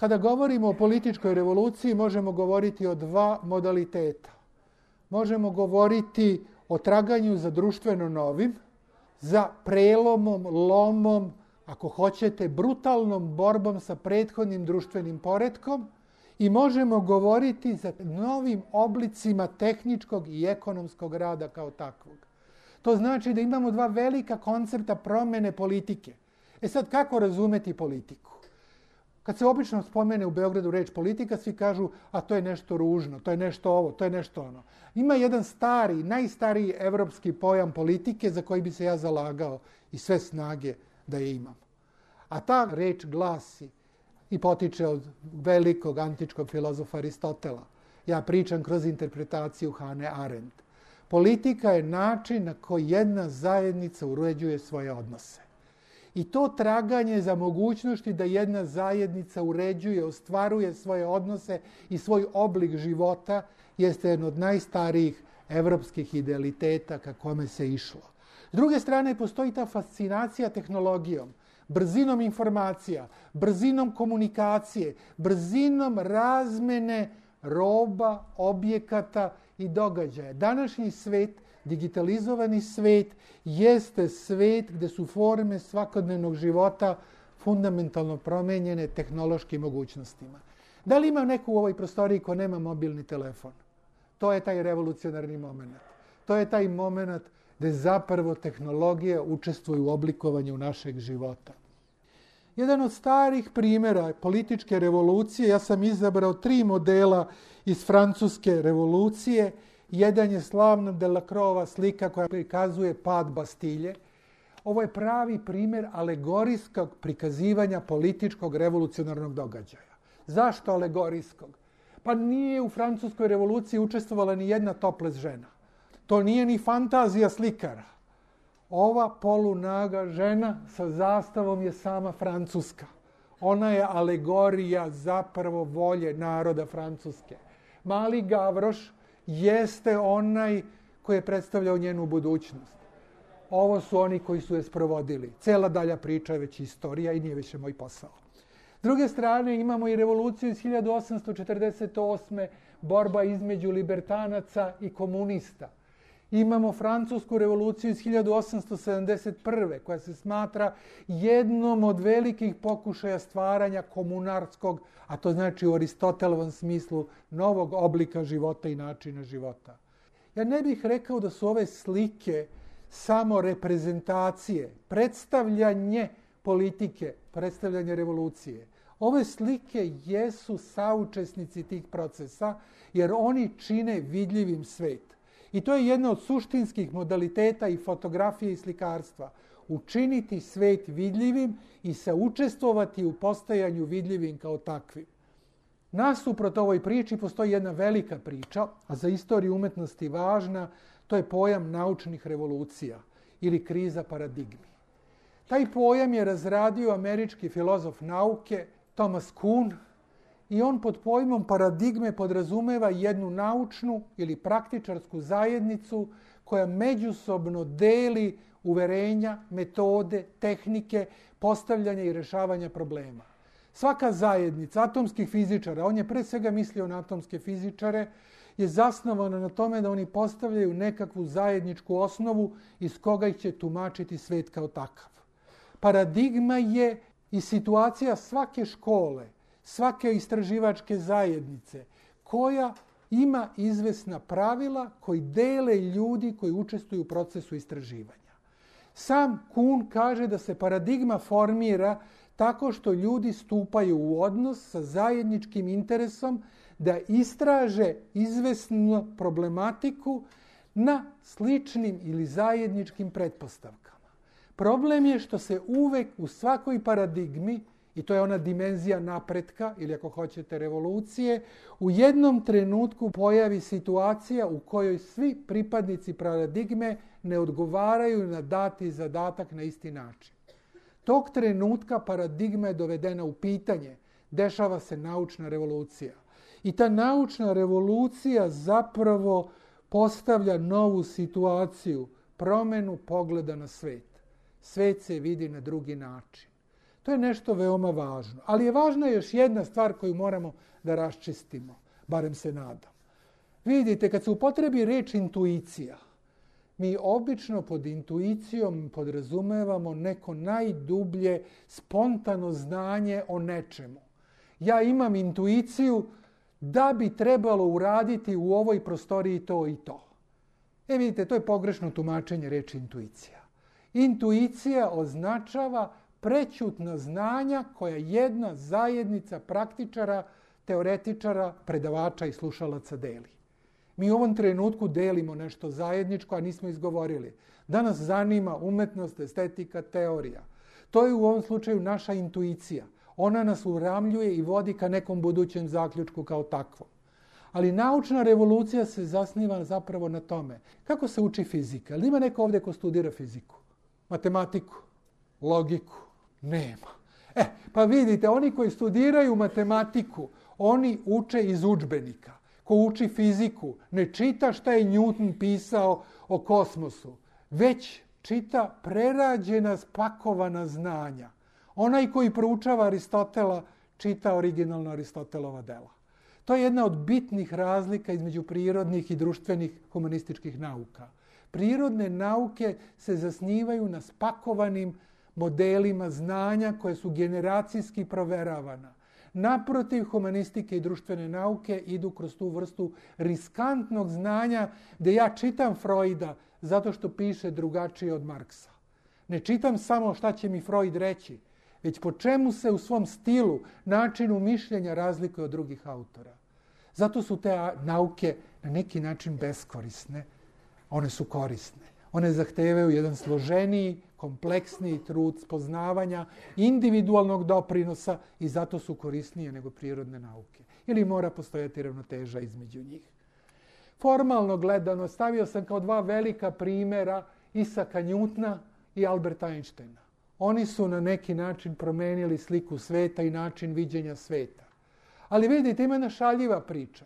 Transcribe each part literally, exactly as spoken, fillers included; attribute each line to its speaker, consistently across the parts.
Speaker 1: Kada govorimo o političkoj revoluciji, možemo govoriti o dva modaliteta. Možemo govoriti o traganju za društveno novim, za prelomom, lomom, ako hoćete, brutalnom borbom sa prethodnim društvenim poretkom i možemo govoriti za novim oblicima tehničkog i ekonomskog rada kao takvog. To znači da imamo dva velika koncepta promene politike. E sad, kako razumeti politiku? Kad se obično spomene u Beogradu reč politika, svi kažu, a to je nešto ružno, to je nešto ovo, to je nešto ono. Ima jedan stari, najstariji evropski pojam politike za koji bi se ja zalagao i sve snage da je imam. A ta reč glasi i potiče od velikog antičkog filozofa Aristotela. Ja pričam kroz interpretaciju Hane Arendt. Politika je način na koji jedna zajednica uređuje svoje odnose. I to traganje za mogućnosti da jedna zajednica uređuje, ostvaruje svoje odnose i svoj oblik života jeste jedan od najstarijih evropskih idealiteta ka kome se išlo. S druge strane, postoji ta fascinacija tehnologijom, brzinom informacija, brzinom komunikacije, brzinom razmene roba, objekata i događaja. Današnji svet, digitalizovani svet, jeste svet gde su forme svakodnevnog života fundamentalno promenjene tehnološkim mogućnostima. Da li ima neko u ovoj prostoriji ko nema mobilni telefon? To je taj revolucionarni moment. To je taj moment gde zapravo tehnologija učestvuje u oblikovanju našeg života. Jedan od starih primjera političke revolucije, ja sam izabrao tri modela iz francuske revolucije. Jedan je slavna Delacroixova slika koja prikazuje pad Bastilje. Ovo je pravi primjer alegorijskog prikazivanja političkog revolucionarnog događaja. Zašto alegorijskog? Pa nije u francuskoj revoluciji učestvovala ni jedna topless žena. To nije ni fantazija slikara. Ova polunaga žena sa zastavom je sama Francuska. Ona je alegorija zapravo volje naroda Francuske. Mali Gavroš jeste onaj koji je predstavljao njenu budućnost. Ovo su oni koji su je sprovodili. Cela dalja priča je već istorija i nije više moj posao. S druge strane, imamo i revoluciju iz hiljadu osamsto četrdeset osme. borba između libertanaca i komunista. Imamo francusku revoluciju iz hiljadu osamsto sedamdeset prve. koja se smatra jednom od velikih pokušaja stvaranja komunarskog, a to znači u Aristotelovom smislu, novog oblika života i načina života. Ja ne bih rekao da su ove slike samo reprezentacije, predstavljanje politike, predstavljanje revolucije. Ove slike jesu saučesnici tih procesa, jer oni čine vidljivim svet. I to je jedna od suštinskih modaliteta i fotografije i slikarstva. Učiniti svet vidljivim i saučestvovati u postajanju vidljivim kao takvim. Nasuprot ovoj priči postoji jedna velika priča, a za istoriju umetnosti važna, to je pojam naučnih revolucija ili kriza paradigmi. Taj pojam je razradio američki filozof nauke Thomas Kuhn i on pod pojmom paradigme podrazumeva jednu naučnu ili praktičarsku zajednicu koja međusobno deli uverenja, metode, tehnike, postavljanja i rešavanja problema. Svaka zajednica atomskih fizičara, on je pre svega mislio na atomske fizičare, je zasnovana na tome da oni postavljaju nekakvu zajedničku osnovu iz koga ih će tumačiti svet kao takav. Paradigma je i situacija svake škole, svake istraživačke zajednice, koja ima izvesna pravila koji dele ljudi koji učestvuju u procesu istraživanja. Sam Kuhn kaže da se paradigma formira tako što ljudi stupaju u odnos sa zajedničkim interesom da istraže izvesnu problematiku na sličnim ili zajedničkim pretpostavkama. Problem je što se uvek u svakoj paradigmi, i to je ona dimenzija napretka, ili ako hoćete revolucije, u jednom trenutku pojavi situacija u kojoj svi pripadnici paradigme ne odgovaraju na dati zadatak na isti način. Tog trenutka paradigma je dovedena u pitanje, dešava se naučna revolucija. I ta naučna revolucija zapravo postavlja novu situaciju, promenu pogleda na svet. Svet se vidi na drugi način. To je nešto veoma važno. Ali je važna još jedna stvar koju moramo da raščistimo, barem se nadam. Vidite, kad se upotrebi reč intuicija, mi obično pod intuicijom podrazumevamo neko najdublje spontano znanje o nečemu. Ja imam intuiciju da bi trebalo uraditi u ovoj prostoriji to i to. E vidite, to je pogrešno tumačenje reči intuicija. Intuicija označava prećutna znanja koja jedna zajednica praktičara, teoretičara, predavača i slušalaca deli. Mi u ovom trenutku delimo nešto zajedničko, a nismo izgovorili. Da nas zanima umetnost, estetika, teorija. To je u ovom slučaju naša intuicija. Ona nas uramljuje i vodi ka nekom budućem zaključku kao takvom. Ali naučna revolucija se zasniva zapravo na tome. Kako se uči fizika? Ali ima neko ovdje ko studira fiziku? Matematiku? Logiku? Nema. E, pa vidite, oni koji studiraju matematiku, oni uče iz udžbenika. Ko uči fiziku, ne čita šta je Newton pisao o kosmosu, već čita prerađena, spakovana znanja. Onaj koji proučava Aristotela, čita originalna Aristotelova dela. To je jedna od bitnih razlika između prirodnih i društvenih humanističkih nauka. Prirodne nauke se zasnivaju na spakovanim modelima znanja koje su generacijski proveravana. Naprotiv, humanistike i društvene nauke idu kroz tu vrstu riskantnog znanja gdje ja čitam Freuda zato što piše drugačije od Marksa. Ne čitam samo šta će mi Freud reći, već po čemu se u svom stilu, načinu mišljenja razlikuje od drugih autora. Zato su te nauke na neki način beskorisne. One su korisne. One zahtevaju jedan složeniji, kompleksniji trud spoznavanja, individualnog doprinosa i zato su korisnije nego prirodne nauke. Ili mora postojati ravnoteža između njih. Formalno gledano stavio sam kao dva velika primjera Isaka Newtona i Alberta Einsteina. Oni su na neki način promenili sliku sveta i način viđenja sveta. Ali vidite, ima jedna šaljiva priča.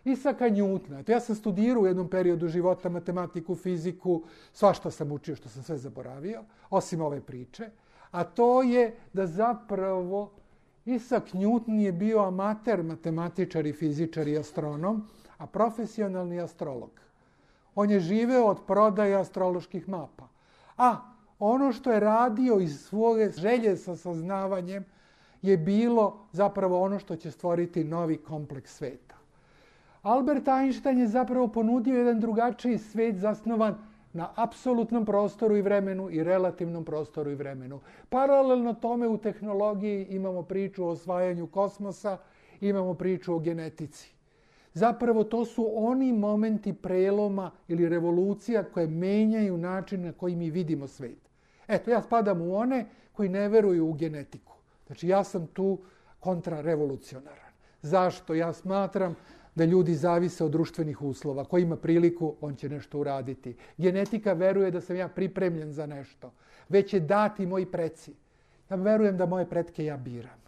Speaker 1: Isaka Newtona, to ja sam studirao u jednom periodu života matematiku, fiziku, svašta sam učio što sam sve zaboravio, osim ove priče, a to je da zapravo Isak Newton je bio amater matematičar i fizičar i astronom, a profesionalni astrolog. On je živeo od prodaje astroloških mapa. A ono što je radio iz svoje želje sa saznavanjem je bilo zapravo ono što će stvoriti novi kompleks sveta. Albert Einstein je zapravo ponudio jedan drugačiji svet zasnovan na apsolutnom prostoru i vremenu i relativnom prostoru i vremenu. Paralelno tome u tehnologiji imamo priču o osvajanju kosmosa, imamo priču o genetici. Zapravo to su oni momenti preloma ili revolucija koje menjaju način na koji mi vidimo svet. Eto, ja spadam u one koji ne veruju u genetiku. Znači, ja sam tu kontrarevolucionaran. Zašto? Ja smatram da ljudi zavise od društvenih uslova. Ko ima priliku, on će nešto uraditi. Genetika veruje da sam ja pripremljen za nešto. Već je dati moji preci. Ja verujem da moje pretke ja biram.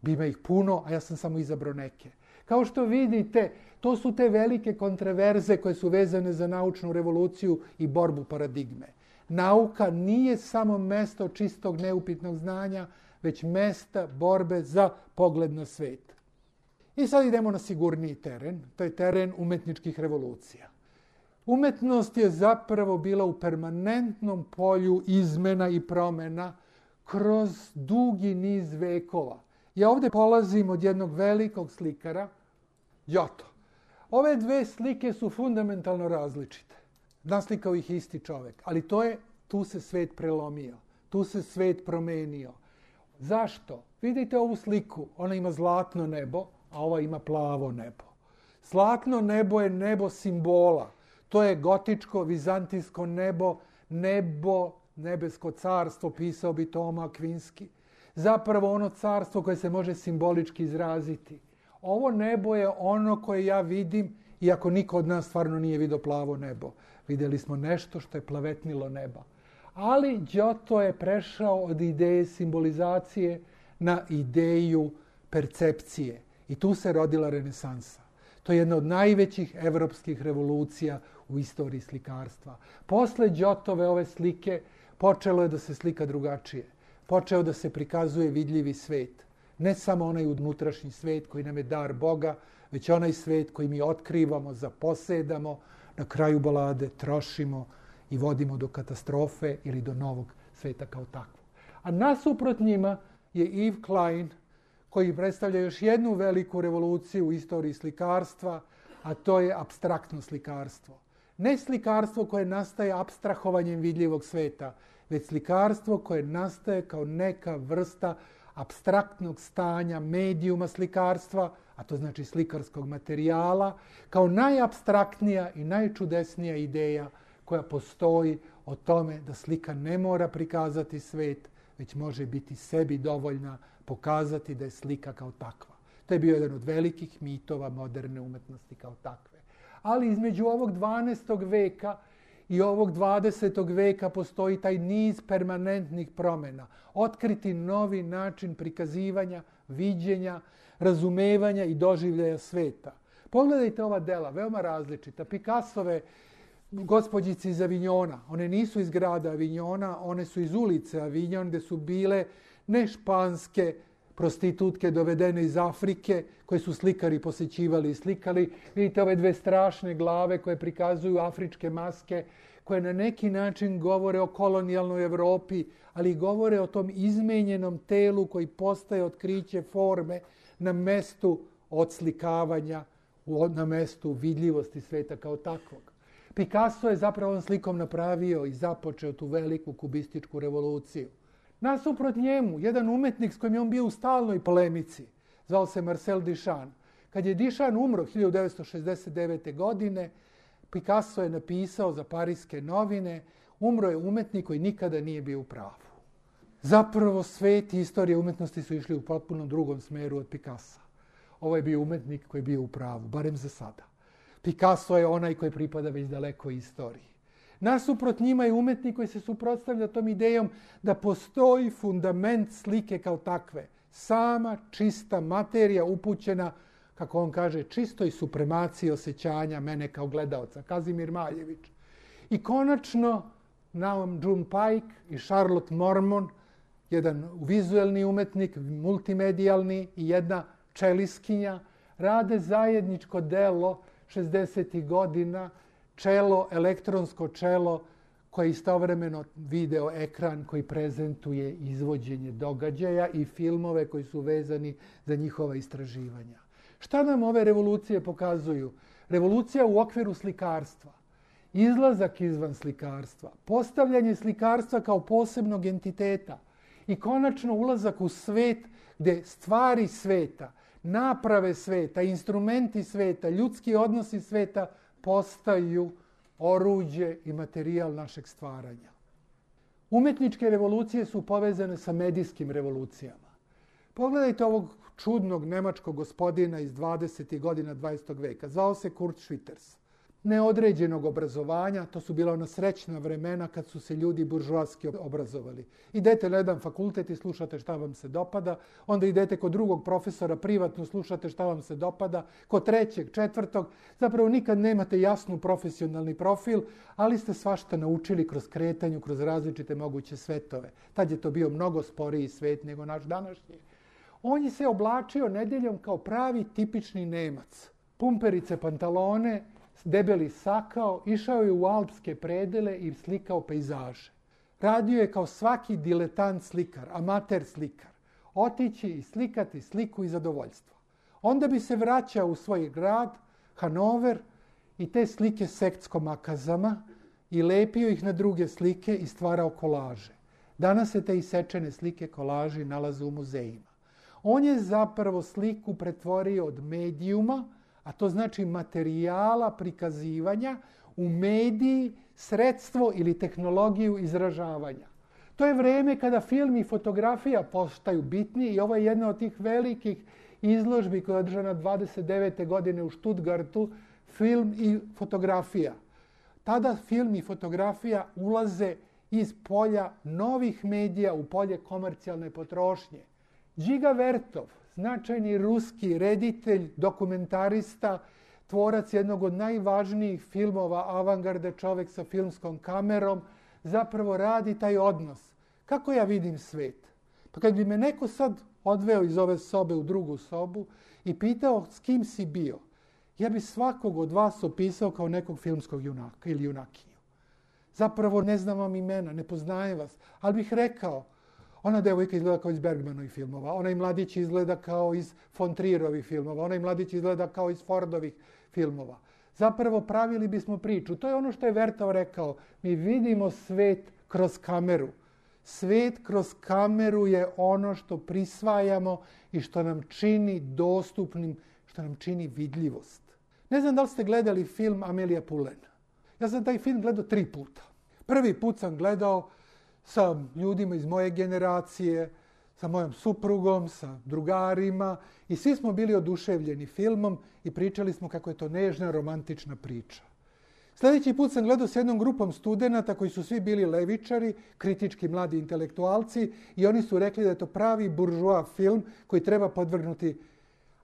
Speaker 1: Ima ih puno, a ja sam samo izabrao neke. Kao što vidite, to su te velike kontraverze koje su vezane za naučnu revoluciju i borbu paradigme. Nauka nije samo mesto čistog neupitnog znanja, već mesta borbe za pogled na svet. I sad idemo na sigurniji teren, to je teren umetničkih revolucija. Umetnost je zapravo bila u permanentnom polju izmena i promjena kroz dugi niz vekova. Ja ovdje polazim od jednog velikog slikara, Giotto. Ove dve slike su fundamentalno različite. Naslikao ih isti čovjek, ali to je, tu se svet prelomio, tu se svet promenio. Zašto? Vidite ovu sliku, ona ima zlatno nebo, a ova ima plavo nebo. Zlatno nebo je nebo simbola. To je gotičko, vizantijsko nebo, nebo, nebesko carstvo, pisao bi Toma Akvinski. Zapravo ono carstvo koje se može simbolički izraziti. Ovo nebo je ono koje ja vidim, iako niko od nas stvarno nije vidio plavo nebo. Vidjeli smo nešto što je plavetnilo neba. Ali Giotto je prešao od ideje simbolizacije na ideju percepcije. I tu se rodila renesansa. To je jedna od najvećih evropskih revolucija u istoriji slikarstva. Posle Giottove ove slike počelo je da se slika drugačije. počeo da se prikazuje vidljivi svet. Ne samo onaj unutrašnji svet koji nam je dar Boga, već onaj svet koji mi otkrivamo, zaposedamo, na kraju balade trošimo i vodimo do katastrofe ili do novog sveta kao takvog. A nasuprot njima je Yves Klein, koji predstavlja još jednu veliku revoluciju u istoriji slikarstva, a to je apstraktno slikarstvo. Ne slikarstvo koje nastaje apstrahovanjem vidljivog sveta, već slikarstvo koje nastaje kao neka vrsta apstraktnog stanja, medijuma slikarstva, a to znači slikarskog materijala, kao najapstraktnija i najčudesnija ideja koja postoji o tome da slika ne mora prikazati svet, već može biti sebi dovoljna, pokazati da je slika kao takva. To je bio jedan od velikih mitova moderne umetnosti kao takve. Ali između ovog dvanaestog veka i ovog dvadesetog veka postoji taj niz permanentnih promjena. Otkriti novi način prikazivanja, viđenja, razumevanja i doživljaja sveta. Pogledajte ova dela, veoma različita. Picassove Gospođice iz Avignona, one nisu iz grada Avignona, one su iz ulice Avignon, gde su bile ne španske prostitutke dovedene iz Afrike, koje su slikari posećivali i slikali. Vidite ove dve strašne glave koje prikazuju afričke maske, koje na neki način govore o kolonijalnoj Evropi, ali govore o tom izmenjenom telu koji postaje otkriće forme na mestu odslikavanja, na mestu vidljivosti sveta kao takvog. Picasso je zapravo ovom slikom napravio i započeo tu veliku kubističku revoluciju. Nasuprot njemu, jedan umetnik s kojim je on bio u stalnoj polemici, zvao se Marcel Duchamp. Kad je Duchamp umro hiljadu devetsto šezdeset devete. godine, Picasso je napisao za Pariske novine, umro je umetnik koji nikada nije bio u pravu. Zapravo svet i istorija umetnosti su išli u potpuno drugom smeru od Picassa. Ovo je bio umetnik koji je bio u pravu, barem za sada. Picasso je onaj koji pripada već daleko istoriji. Nasuprot njima je umetnik koji se suprotstavlja tom idejom da postoji fundament slike kao takve. Sama čista materija upućena, kako on kaže, čistoj supremaciji osjećanja mene kao gledaoca. Kazimir Maljević. I konačno Naum June Paik i Charlotte Mormon, jedan vizuelni umetnik, multimedijalni i jedna čeliskinja, rade zajedničko delo šezdesetih godina, čelo, elektronsko čelo, koje je istovremeno video ekran koji prezentuje izvođenje događaja i filmove koji su vezani za njihova istraživanja. Šta nam ove revolucije pokazuju? Revolucija u okviru slikarstva, izlazak izvan slikarstva, postavljanje slikarstva kao posebnog entiteta i konačno ulazak u svet gde stvari sveta, naprave sveta, instrumenti sveta, ljudski odnosi sveta postaju oruđe i materijal našeg stvaranja. Umetničke revolucije su povezane sa medijskim revolucijama. Pogledajte ovog čudnog nemačkog gospodina iz dvadesetih godina dvadesetog veka. Zvao se Kurt Schwitters. Neodređenog obrazovanja, to su bila ona srećna vremena kad su se ljudi buržoaski obrazovali. Idete na jedan fakultet i slušate šta vam se dopada, onda idete kod drugog profesora privatno, slušate šta vam se dopada, kod trećeg, četvrtog, zapravo nikad nemate jasnu profesionalni profil, ali ste svašta naučili kroz kretanju, kroz različite moguće svetove. Tad je to bio mnogo sporiji svet nego naš današnji. On je se oblačio nedeljom kao pravi tipični Nemac. Pumperice, pantalone, debeli sakao, išao je u alpske predele i slikao pejzaže. Radio je kao svaki diletant slikar, amater slikar. Otići i slikati sliku i zadovoljstvo. Onda bi se vraćao u svoj grad, Hanover, i te slike sektsko makazama i lepio ih na druge slike i stvarao kolaže. Danas se te isečene slike kolaži nalaze u muzejima. On je zapravo sliku pretvorio od medijuma, a to znači materijala prikazivanja, u mediji, sredstvo ili tehnologiju izražavanja. To je vreme kada film i fotografija postaju bitni i ovo je jedna od tih velikih izložbi koja je održana dvadeset devete. godine u Stuttgartu, film i fotografija. Tada film i fotografija ulaze iz polja novih medija u polje komercijalne potrošnje. Džiga Vertov, značajni ruski reditelj, dokumentarista, tvorac jednog od najvažnijih filmova avangarde, čovjek sa filmskom kamerom, zapravo radi taj odnos. Kako ja vidim svet? Pa kad bi me neko sad odveo iz ove sobe u drugu sobu i pitao s kim si bio, ja bi svakog od vas opisao kao nekog filmskog junaka ili junakinju. Zapravo ne znam vam imena, ne poznajem vas, ali bih rekao, ona devojka izgleda kao iz Bergmanovih filmova, onaj mladić izgleda kao iz von Trierovih filmova, onaj mladić izgleda kao iz Fordovih filmova. Zapravo pravili bismo priču. To je ono što je Vertov rekao. Mi vidimo svet kroz kameru. Svet kroz kameru je ono što prisvajamo i što nam čini dostupnim, što nam čini vidljivost. Ne znam da li ste gledali film Amelija Pulen. Ja sam taj film gledao tri puta. Prvi put sam gledao sa ljudima iz moje generacije, sa mojom suprugom, sa drugarima i svi smo bili oduševljeni filmom i pričali smo kako je to nežna, romantična priča. Sljedeći put sam gledao s jednom grupom studenata koji su svi bili levičari, kritički mladi intelektualci i oni su rekli da je to pravi buržoa film koji treba podvrgnuti.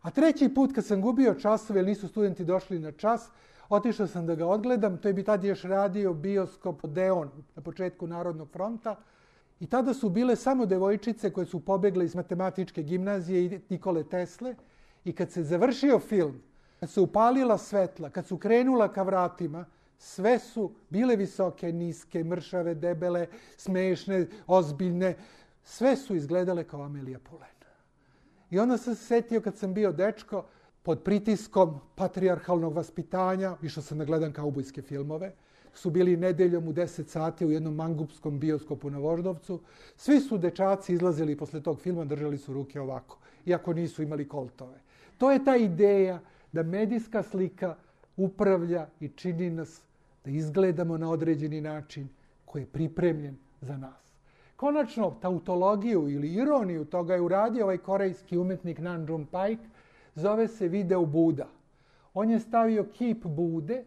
Speaker 1: A treći put kad sam gubio časove jer nisu studenti došli na čas, otišao sam da ga odgledam, to je bi tad još radio bioskop Odeon na početku Narodnog fronta. I tada su bile samo devojčice koje su pobegle iz matematičke gimnazije i Nikole Tesle. I kad se završio film, kad se upalila svetla, kad su krenula ka vratima, sve su bile visoke, niske, mršave, debele, smešne, ozbiljne. Sve su izgledale kao Amelija Pulen. I onda sam se setio kad sam bio dečko, pod pritiskom patrijarhalnog vaspitanja, išao sam da gledam kaubojske filmove, su bili nedeljom u deset sati u jednom mangupskom bioskopu na Voždovcu. Svi su dečaci izlazili posle tog filma, držali su ruke ovako, iako nisu imali koltove. To je ta ideja da medijska slika upravlja i čini nas da izgledamo na određeni način koji je pripremljen za nas. Konačno, tautologiju ili ironiju toga je uradio ovaj korejski umetnik Nam June Paik, zove se video Buda. On je stavio kip Bude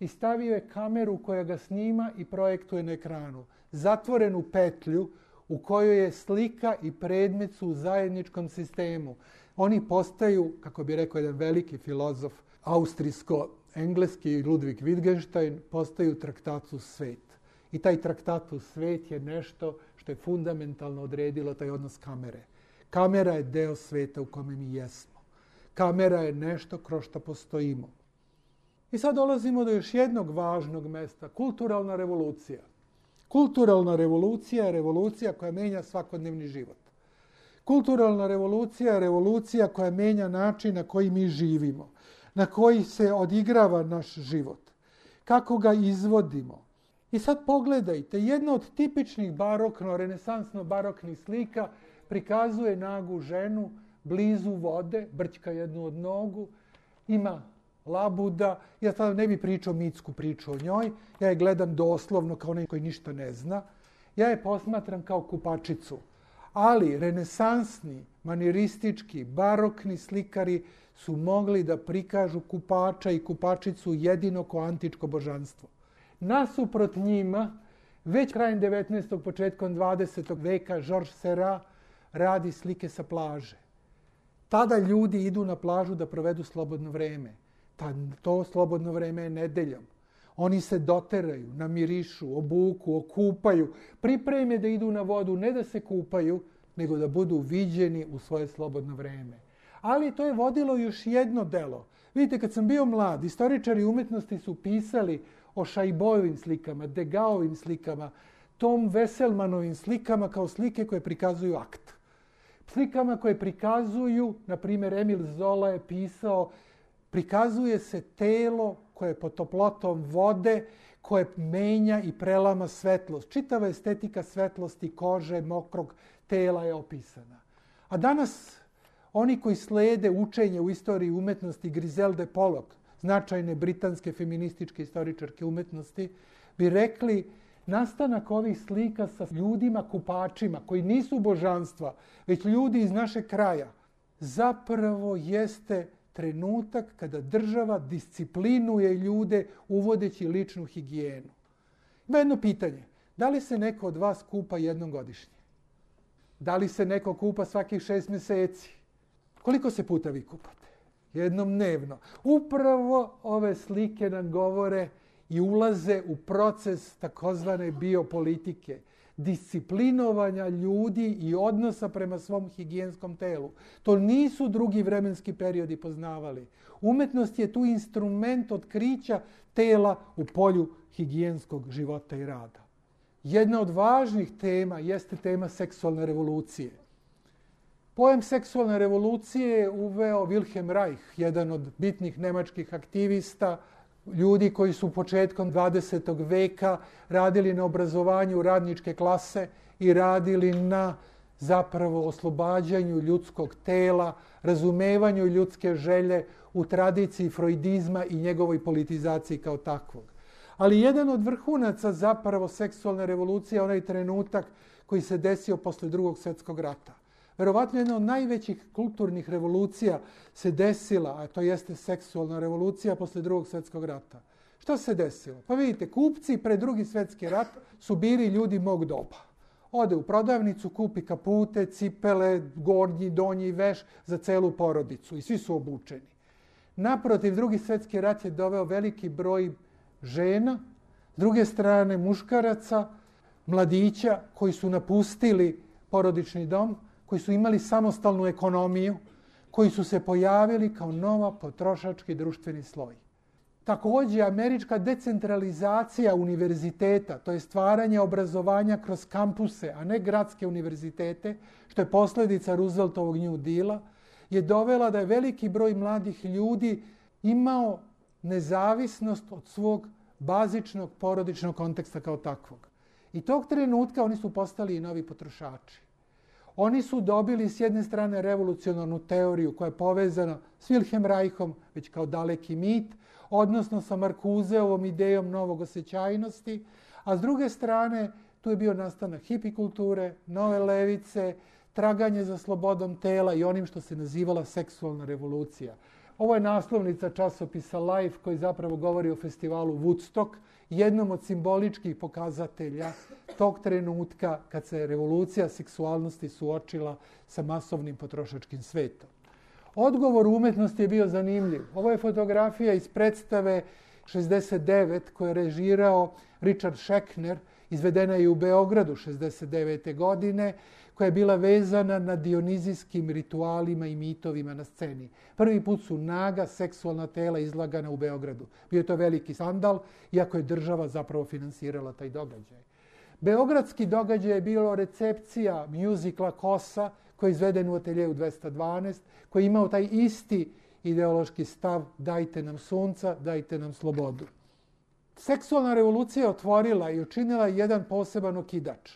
Speaker 1: i stavio je kameru koja ga snima i projektuje na ekranu. Zatvorenu petlju u kojoj je slika i predmet su u zajedničkom sistemu. Oni postaju, kako bi rekao jedan veliki filozof, austrijsko-engleski Ludwig Wittgenstein, postaju traktatus svet. I taj traktatus svet je nešto što je fundamentalno odredilo taj odnos kamere. Kamera je deo sveta u kome mi jesmo. Kamera je nešto kroz što postojimo. I sad dolazimo do još jednog važnog mesta, kulturalna revolucija. Kulturalna revolucija je revolucija koja menja svakodnevni život. Kulturalna revolucija je revolucija koja menja način na koji mi živimo, na koji se odigrava naš život, kako ga izvodimo. I sad pogledajte, jedna od tipičnih barokno-renesansno-baroknih slika prikazuje nagu ženu blizu vode, brćka jednu od nogu, ima labuda. Ja sad ne bi pričao mitsku priču o njoj, ja je gledam doslovno kao onaj koji ništa ne zna. Ja je posmatram kao kupačicu. Ali renesansni, maniristički, barokni slikari su mogli da prikažu kupača i kupačicu jedino kao antičko božanstvo. Nasuprot njima, već krajem devetnaestog. početkom dvadesetog veka, Georges Seurat radi slike sa plaže. Tada ljudi idu na plažu da provedu slobodno vreme. To slobodno vreme je nedeljom. Oni se doteraju, namirišu, obuku, okupaju, pripreme da idu na vodu, ne da se kupaju, nego da budu viđeni u svoje slobodno vreme. Ali to je vodilo još jedno delo. Vidite, kad sam bio mlad, istoričari umetnosti su pisali o Šajbojevim slikama, Degaovim slikama, Tom Veselmanovim slikama kao slike koje prikazuju akt. Slikama koje prikazuju, na primjer Emil Zola je pisao, prikazuje se telo koje je pod toplotom vode, koje menja i prelama svetlost. Čitava estetika svetlosti, kože, mokrog tela je opisana. A danas oni koji slede učenje u istoriji umetnosti Griselde Pollock, značajne britanske feminističke istoričarke umetnosti, bi rekli nastanak ovih slika sa ljudima kupačima koji nisu božanstva, već ljudi iz našeg kraja, zapravo jeste trenutak kada država disciplinuje ljude uvodeći ličnu higijenu. Ima jedno pitanje. Da li se neko od vas kupa jednom godišnje? Da li se neko kupa svakih šest mjeseci? Koliko se puta vi kupate? Jednom dnevno. Upravo ove slike nam govore i ulaze u proces takozvane biopolitike. disciplinovanja ljudi i odnosa prema svom higijenskom telu. To nisu drugi vremenski periodi poznavali. Umetnost je tu instrument otkrića tela u polju higijenskog života i rada. Jedna od važnih tema jeste tema seksualne revolucije. Pojam seksualne revolucije je uveo Wilhelm Reich, jedan od bitnih nemačkih aktivista, ljudi koji su početkom dvadesetog veka radili na obrazovanju radničke klase i radili na zapravo oslobađanju ljudskog tela, razumevanju ljudske želje u tradiciji freudizma i njegovoj politizaciji kao takvog. Ali jedan od vrhunaca zapravo seksualne revolucije je onaj trenutak koji se desio posle Drugog svjetskog rata. Verovatno jedna od najvećih kulturnih revolucija se desila, a to jeste seksualna revolucija posle Drugog svjetskog rata. Što se desilo? Pa vidite, kupci pred Drugi svjetski rat su bili ljudi mog doba. Ode u prodavnicu, kupi kapute, cipele, gornji, donji veš za celu porodicu i svi su obučeni. Naprotiv, Drugi svjetski rat je doveo veliki broj žena, s druge strane muškaraca, mladića koji su napustili porodični dom, koji su imali samostalnu ekonomiju, koji su se pojavili kao nova potrošački društveni sloj. Također, američka decentralizacija univerziteta, to je stvaranje obrazovanja kroz kampuse, a ne gradske univerzitete, što je posljedica Rooseveltovog New Deala, je dovela da je veliki broj mladih ljudi imao nezavisnost od svog bazičnog porodičnog konteksta kao takvog. I tog trenutka oni su postali i novi potrošači. Oni su dobili s jedne strane revolucionarnu teoriju koja je povezana s Wilhelm Reichom, već kao daleki mit, odnosno sa Markuseovom idejom novog osjećajnosti, a s druge strane tu je bio nastanak hipikulture, nove levice, traganje za slobodom tela i onim što se nazivala seksualna revolucija. Ovo je naslovnica časopisa Life koji zapravo govori o festivalu Woodstock, jednom od simboličkih pokazatelja tog trenutka kad se revolucija seksualnosti suočila sa masovnim potrošačkim svetom. Odgovor umetnosti je bio zanimljiv. Ovo je fotografija iz predstave šezdeset devet koju je režirao Richard Schechner, izvedena je u Beogradu šezdeset devete godine, koja je bila vezana na dionizijskim ritualima i mitovima na sceni. Prvi put su naga seksualna tela izlagana u Beogradu. Bio je to veliki skandal, iako je država zapravo finansirala taj događaj. Beogradski događaj je bilo recepcija mjuzikla Kosa, koji je izveden u ateljeju dvesta dvanaest, koji je imao taj isti ideološki stav dajte nam sunca, dajte nam slobodu. Seksualna revolucija je otvorila i učinila jedan poseban okidač.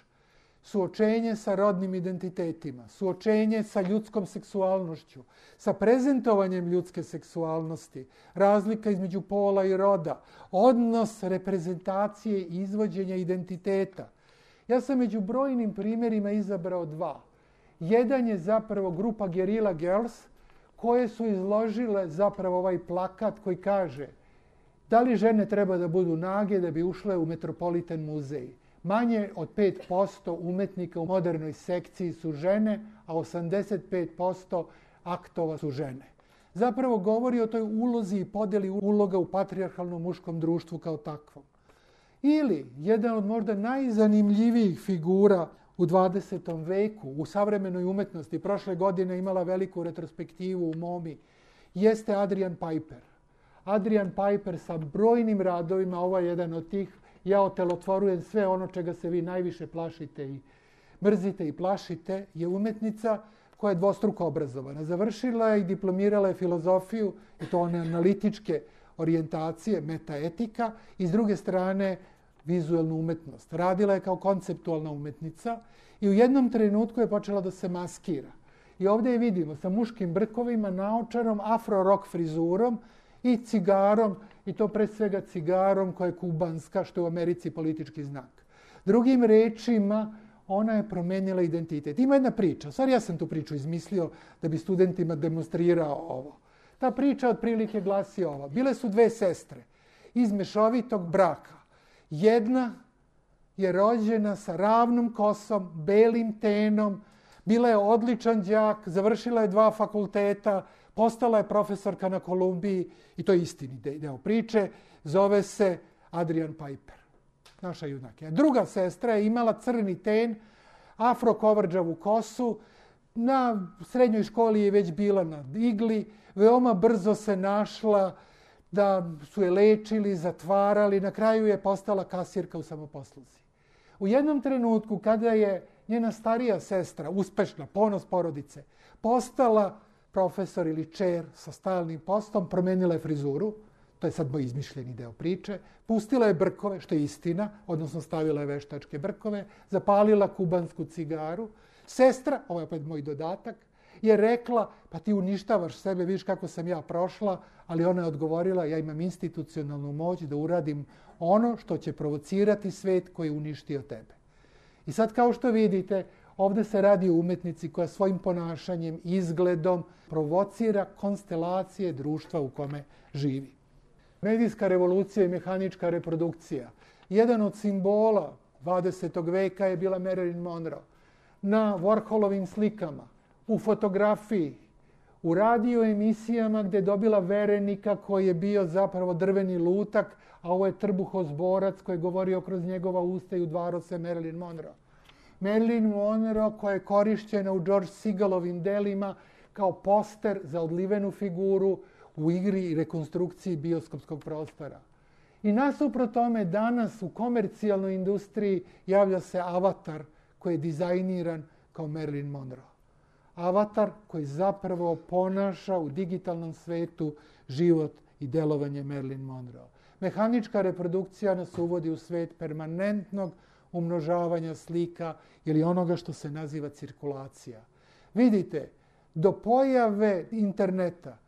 Speaker 1: Suočenje sa rodnim identitetima, suočenje sa ljudskom seksualnošću, sa prezentovanjem ljudske seksualnosti, razlika između pola i roda, odnos reprezentacije i izvođenja identiteta. Ja sam među brojnim primjerima izabrao dva. Jedan je zapravo grupa Guerrilla Girls koje su izložile zapravo ovaj plakat koji kaže da li žene treba da budu nage da bi ušle u Metropolitan muzej. Manje od pet posto umetnika u modernoj sekciji su žene, a osamdeset pet posto aktova su žene. Zapravo govori o toj ulozi i podjeli uloga u patrijarhalnom muškom društvu kao takvom. Ili jedan od možda najzanimljivijih figura u dvadesetom veku, u savremenoj umetnosti, prošle godine imala veliku retrospektivu u MoMI, jeste Adrian Piper. Adrian Piper sa brojnim radovima, ovo je jedan od tih, ja otelotvorujem sve ono čega se vi najviše plašite i mrzite i plašite, je umetnica koja je dvostruko obrazovana. Završila je i diplomirala je filozofiju, i to one analitičke orijentacije, metaetika, i s druge strane vizualnu umetnost. Radila je kao konceptualna umetnica i u jednom trenutku je počela da se maskira. I ovdje je vidimo sa muškim brkovima, naočarom, afro-rock frizurom i cigarom, i to pre svega cigarom koja je kubanska, što je u Americi politički znak. Drugim rečima, ona je promenila identitet. Ima jedna priča, stvari ja sam tu priču izmislio da bi studentima demonstrirao ovo. Ta priča otprilike glasi ova. Bile su dve sestre iz mešovitog braka. Jedna je rođena sa ravnom kosom, belim tenom, bila je odličan đak, završila je dva fakulteta, postala je profesorka na Kolumbiji, i to je istini deo priče, zove se Adrian Piper. naša junakinja. Druga sestra je imala crni ten, afro-kovrđavu kosu, na srednjoj školi je već bila na igli, veoma brzo se našla da su je lečili, zatvarali, na kraju je postala kasirka u samoposluzi. U jednom trenutku kada je njena starija sestra, uspešna, ponos porodice, postala profesor ili čer sa stalnim postom, promenila je frizuru, to je sad moj izmišljeni deo priče, pustila je brkove, što je istina, odnosno stavila je veštačke brkove, zapalila kubansku cigaru. Sestra, ovo je opet moj dodatak, je rekla, pa ti uništavaš sebe, vidiš kako sam ja prošla, ali ona je odgovorila, ja imam institucionalnu moć da uradim ono što će provocirati svet koji je uništio tebe. I sad, kao što vidite, ovde se radi o umetnici koja svojim ponašanjem, izgledom provocira konstelacije društva u kome živi. Medijska revolucija i mehanička reprodukcija. Jedan od simbola dvadesetog veka je bila Marilyn Monroe. Na Warholovim slikama, u fotografiji, u radio emisijama gde je dobila verenika koji je bio zapravo drveni lutak, a ovo je trbuhozborac koji je govorio kroz njegova usta i udvaro se Marilyn Monroe. Marilyn Monroe koja je korišćena u George Segalovim delima kao poster za odlivenu figuru u igri i rekonstrukciji bioskopskog prostora. I nasuprot tome danas u komercijalnoj industriji javlja se avatar koji je dizajniran kao Marilyn Monroe. Avatar koji zapravo ponaša u digitalnom svetu život i delovanje Marilyn Monroe. Mehanička reprodukcija nas uvodi u svet permanentnog umnožavanja slika ili onoga što se naziva cirkulacija. Vidite, do pojave interneta,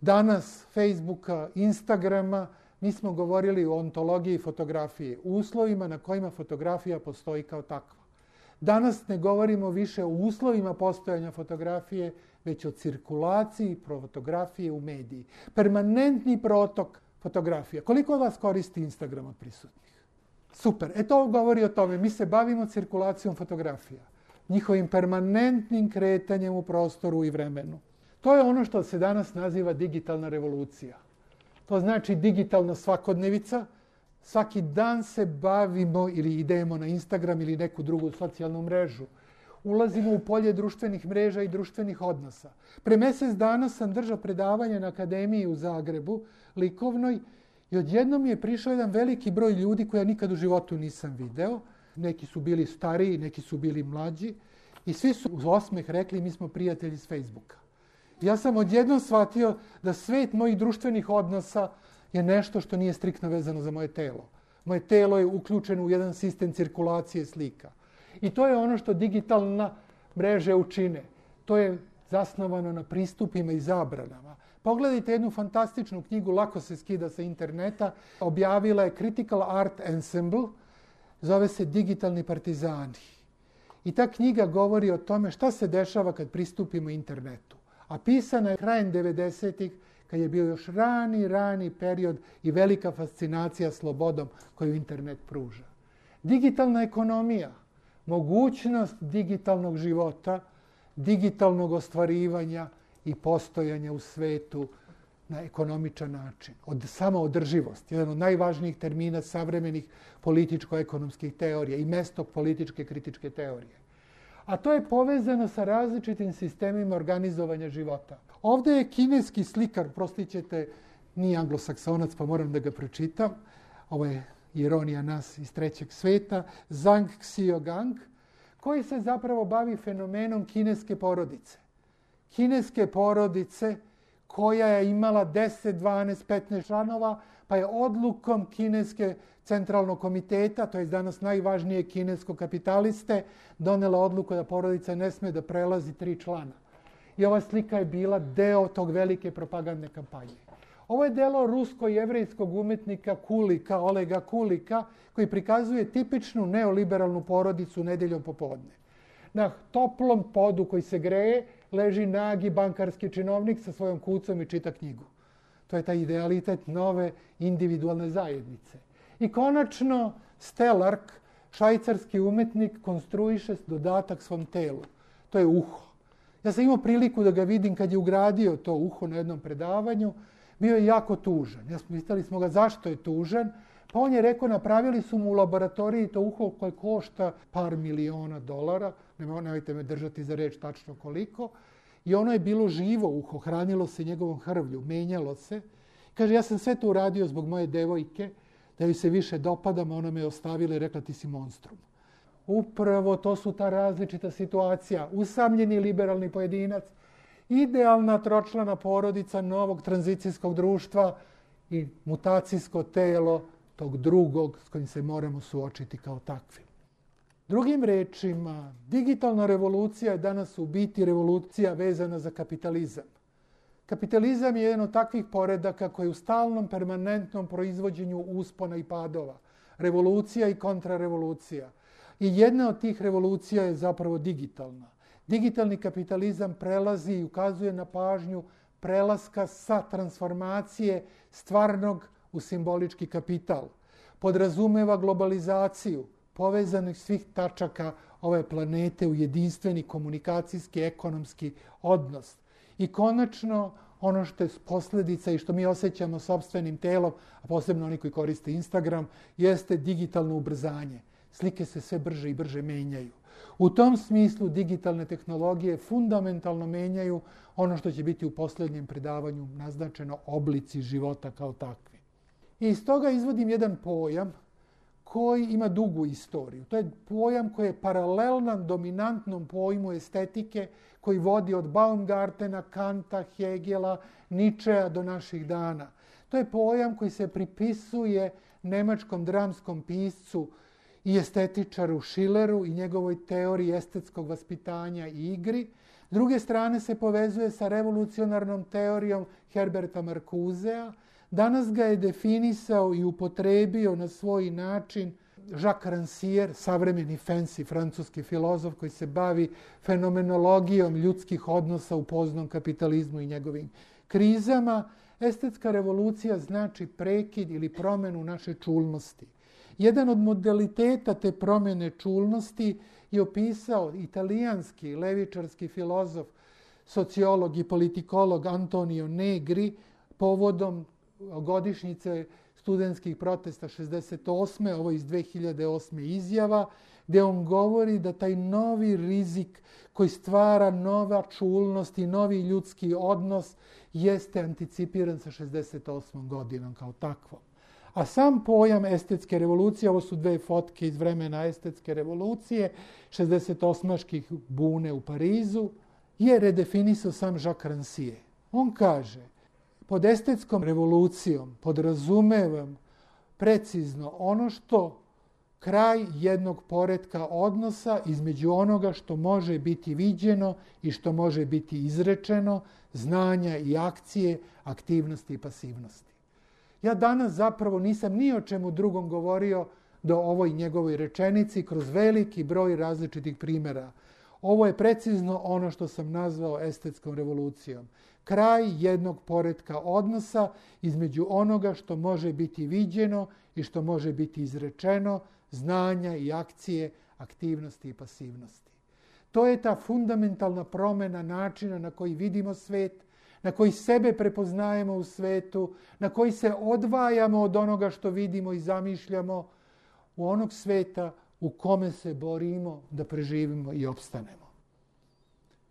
Speaker 1: danas Facebooka, Instagrama, mi smo govorili o ontologiji fotografije, uslovima na kojima fotografija postoji kao takva. Danas ne govorimo više o uslovima postojanja fotografije, već o cirkulaciji fotografije u mediji. Permanentni protok fotografija. Koliko od vas koristi Instagram od prisutnih? Super. E to govori o tome. Mi se bavimo cirkulacijom fotografija. Njihovim permanentnim kretanjem u prostoru i vremenu. To je ono što se danas naziva digitalna revolucija. To znači digitalna svakodnevica. Svaki dan se bavimo ili idemo na Instagram ili neku drugu socijalnu mrežu. Ulazimo u polje društvenih mreža i društvenih odnosa. Pre mesec dana sam držao predavanje na Akademiji u Zagrebu, likovnoj, i odjednom mi je prišao jedan veliki broj ljudi koje ja nikad u životu nisam video. Neki su bili stariji, neki su bili mlađi i svi su uz osmeh rekli mi smo prijatelji s Facebooka. Ja sam odjednom shvatio da svet mojih društvenih odnosa je nešto što nije striktno vezano za moje telo. Moje telo je uključeno u jedan sistem cirkulacije slika. I to je ono što digitalna mreže učine. To je zasnovano na pristupima i zabranama. Pogledajte jednu fantastičnu knjigu, lako se skida sa interneta. Objavila je Critical Art Ensemble, zove se Digitalni partizani. I ta knjiga govori o tome šta se dešava kad pristupimo internetu. A pisana je krajem devedesetih, kad je bio još rani, rani period i velika fascinacija slobodom koju internet pruža. Digitalna ekonomija, mogućnost digitalnog života, digitalnog ostvarivanja i postojanja u svetu na ekonomičan način. Od samoodrživost, jedan od najvažnijih termina savremenih političko-ekonomskih teorija i mesto političke kritičke teorije. A to je povezano sa različitim sistemima organizovanja života. Ovde je kineski slikar, prostit ćete, nije anglosaksonac, pa moram da ga pročitam. Ovo je ironija nas iz trećeg sveta, Zhang Xiaogang, koji se zapravo bavi fenomenom kineske porodice. Kineske porodice koja je imala deset, dvanaest, petnaest članova, pa je odlukom kineske centralnog komiteta, to je danas najvažnije kinesko kapitaliste, donela odluku da porodica ne sme da prelazi tri člana. I ova slika je bila deo tog velike propagandne kampanje. Ovo je delo rusko-jevrejskog umetnika Kulika, Olega Kulika, koji prikazuje tipičnu neoliberalnu porodicu nedeljom popodne. Na toplom podu koji se greje leži nagi bankarski činovnik sa svojom kucom i čita knjigu. To je taj idealitet nove individualne zajednice. I konačno Stellark, švajcarski umetnik, konstruiše dodatak svom telu. To je uho. Ja sam imao priliku da ga vidim kad je ugradio to uho na jednom predavanju. Bio je jako tužan. Ja smo pitali smo ga zašto je tužan, Pa on je rekao, napravili su mu u laboratoriji to uho koje košta par miliona dolara, nemojte me držati za reč tačno koliko, i ono je bilo živo uho, hranilo se njegovom hrvlju, menjalo se. Kaže, ja sam sve to uradio zbog moje devojke, da joj se više dopadam, a ona me je ostavila i rekla ti si monstrum. Upravo to su ta različita situacija. Usamljeni liberalni pojedinac, idealna tročlana porodica novog tranzicijskog društva i mutacijsko telo tog drugog s kojim se moramo suočiti kao takvi. Drugim rečima, digitalna revolucija je danas u biti revolucija vezana za kapitalizam. Kapitalizam je jedan od takvih poredaka koji je u stalnom, permanentnom proizvođenju uspona i padova. Revolucija i kontrarevolucija. I jedna od tih revolucija je zapravo digitalna. Digitalni kapitalizam prelazi i ukazuje na pažnju prelaska sa transformacije stvarnog u simbolički kapital. Podrazumeva globalizaciju povezanih svih tačaka ove planete u jedinstveni komunikacijski, ekonomski odnos. I konačno, ono što je posljedica i što mi osjećamo sopstvenim telom, a posebno oni koji koriste Instagram, jeste digitalno ubrzanje. Slike se sve brže i brže menjaju. U tom smislu digitalne tehnologije fundamentalno menjaju ono što će biti u posljednjem predavanju naznačeno oblici života kao takvi. I iz toga izvodim jedan pojam koji ima dugu istoriju. To je pojam koji je paralelan dominantnom pojmu estetike koji vodi od Baumgartena, Kanta, Hegela, Ničea do naših dana. To je pojam koji se pripisuje nemačkom dramskom piscu i estetičaru Schilleru i njegovoj teoriji estetskog vaspitanja i igri. S druge strane se povezuje sa revolucionarnom teorijom Herberta Marcusea. Danas ga je definisao i upotrebio na svoj način Jacques Rancière, savremeni fancy francuski filozof koji se bavi fenomenologijom ljudskih odnosa u poznom kapitalizmu i njegovim krizama. Estetska revolucija znači prekid ili promjenu naše čulnosti. Jedan od modaliteta te promjene čulnosti je opisao italijanski levičarski filozof, sociolog i politikolog Antonio Negri povodom godišnjice studentskih protesta šezdeset osme, ovo iz dve hiljade osme izjava, gdje on govori da taj novi rizik koji stvara nova čulnost i novi ljudski odnos jeste anticipiran sa šezdeset osmom godinom kao takvom. A sam pojam estetske revolucije, ovo su dve fotke iz vremena estetske revolucije, šezdesetosmaških bune u Parizu, je redefinisao sam Jacques Rancière. On kaže, pod estetskom revolucijom podrazumevam precizno ono što kraj jednog poretka odnosa između onoga što može biti viđeno i što može biti izrečeno, znanja i akcije, aktivnosti i pasivnosti. Ja danas zapravo nisam ni o čemu drugom govorio do ovoj njegovoj rečenici kroz veliki broj različitih primjera. Ovo je precizno ono što sam nazvao estetskom revolucijom. Kraj jednog poretka odnosa između onoga što može biti viđeno i što može biti izrečeno, znanja i akcije, aktivnosti i pasivnosti. To je ta fundamentalna promjena načina na koji vidimo svet, na koji sebe prepoznajemo u svetu, na koji se odvajamo od onoga što vidimo i zamišljamo, u onog sveta u kome se borimo da preživimo i opstanemo.